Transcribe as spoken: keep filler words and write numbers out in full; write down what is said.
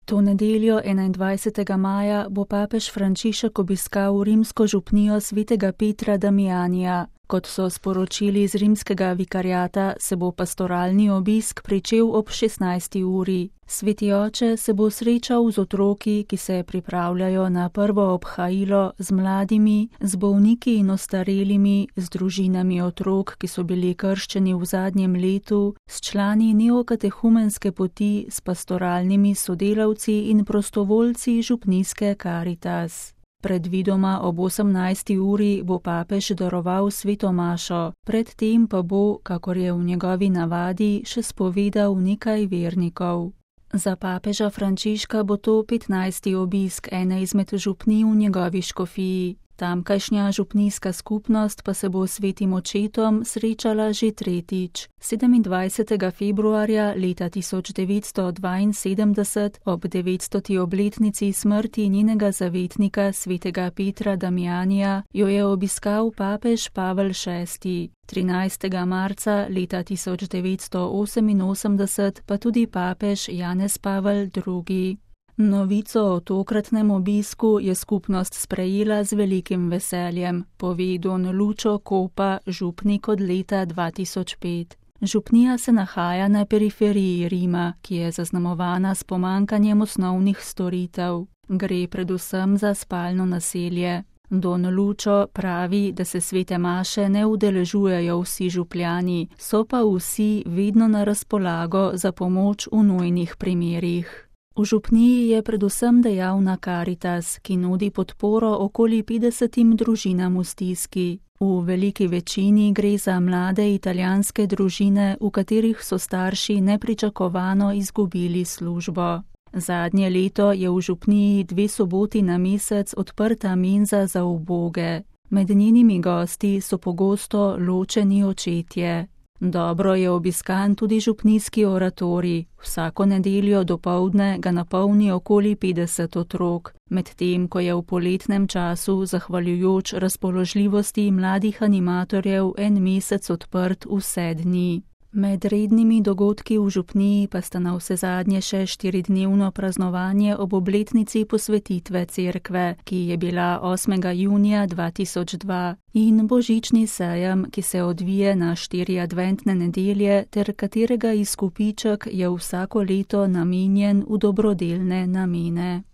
To nedeljo enaindvajsetega maja bo papež Frančišek obiskal rimsko župnijo svetega Petra Damijanija. Kot so sporočili iz rimskega vikariata, se bo pastoralni obisk pričel ob šestnajsti uri. Sveti oče se bo srečal z otroki, ki se pripravljajo na prvo obhajilo, z mladimi, z bolniki in ostarelimi, z družinami otrok, ki so bili krščeni v zadnjem letu, s člani neokatehumenske poti, s pastoralnimi sodelavci in prostovoljci župnijske Karitas. Predvidoma ob osemnajsti uri bo papež daroval sveto mašo, predtem pa bo, kakor je v njegovi navadi, še spovedal nekaj vernikov. Za papeža Frančiška bo to petnajsti obisk ene izmed župnij v njegovi škofiji. Tamkajšnja župnijska skupnost pa se bo s svetim očetom srečala že tretjič. sedemindvajsetega februarja leta tisoč devetsto dvainsedemdeset ob devetstoti obletnici smrti njenega zavetnika svetega Petra Damijanija jo je obiskal papež Pavel šesti. trinajstega marca leta tisoč devetsto oseminosemdeset pa tudi papež Janez Pavel drugi. Novico o tokratnem obisku je skupnost sprejela z velikim veseljem, pove don Lučo Kopa, župnik od leta dva tisoč pet. Župnija se nahaja na periferiji Rima, ki je zaznamovana s pomanjkanjem osnovnih storitev. Gre predvsem za spalno naselje. Don Lučo pravi, da se svete maše ne udeležujejo vsi župljani, so pa vsi vedno na razpolago za pomoč v nujnih primerih. V župniji je predvsem dejavna Karitas, ki nudi podporo okoli petdesetim družinam v stiski. V veliki večini gre za mlade italijanske družine, v katerih so starši nepričakovano izgubili službo. Zadnje leto je v župniji dve soboti na mesec odprta menza za uboge. Med njenimi gosti so pogosto ločeni očetje. Dobro je obiskan tudi župnijski oratorij. Vsako nedeljo dopoldne ga napolni okoli petdeset otrok, medtem ko je v poletnem času, zahvaljujoč razpoložljivosti mladih animatorjev, en mesec odprt vse dni. Med rednimi dogodki v župniji pa sta navsezadnje še štiridnevno praznovanje ob obletnici posvetitve cerkve, ki je bila osmega junija dva tisoč dva, in božični sejem, ki se odvije na štiri adventne nedelje ter katerega izkupiček je vsako leto namenjen v dobrodelne namene.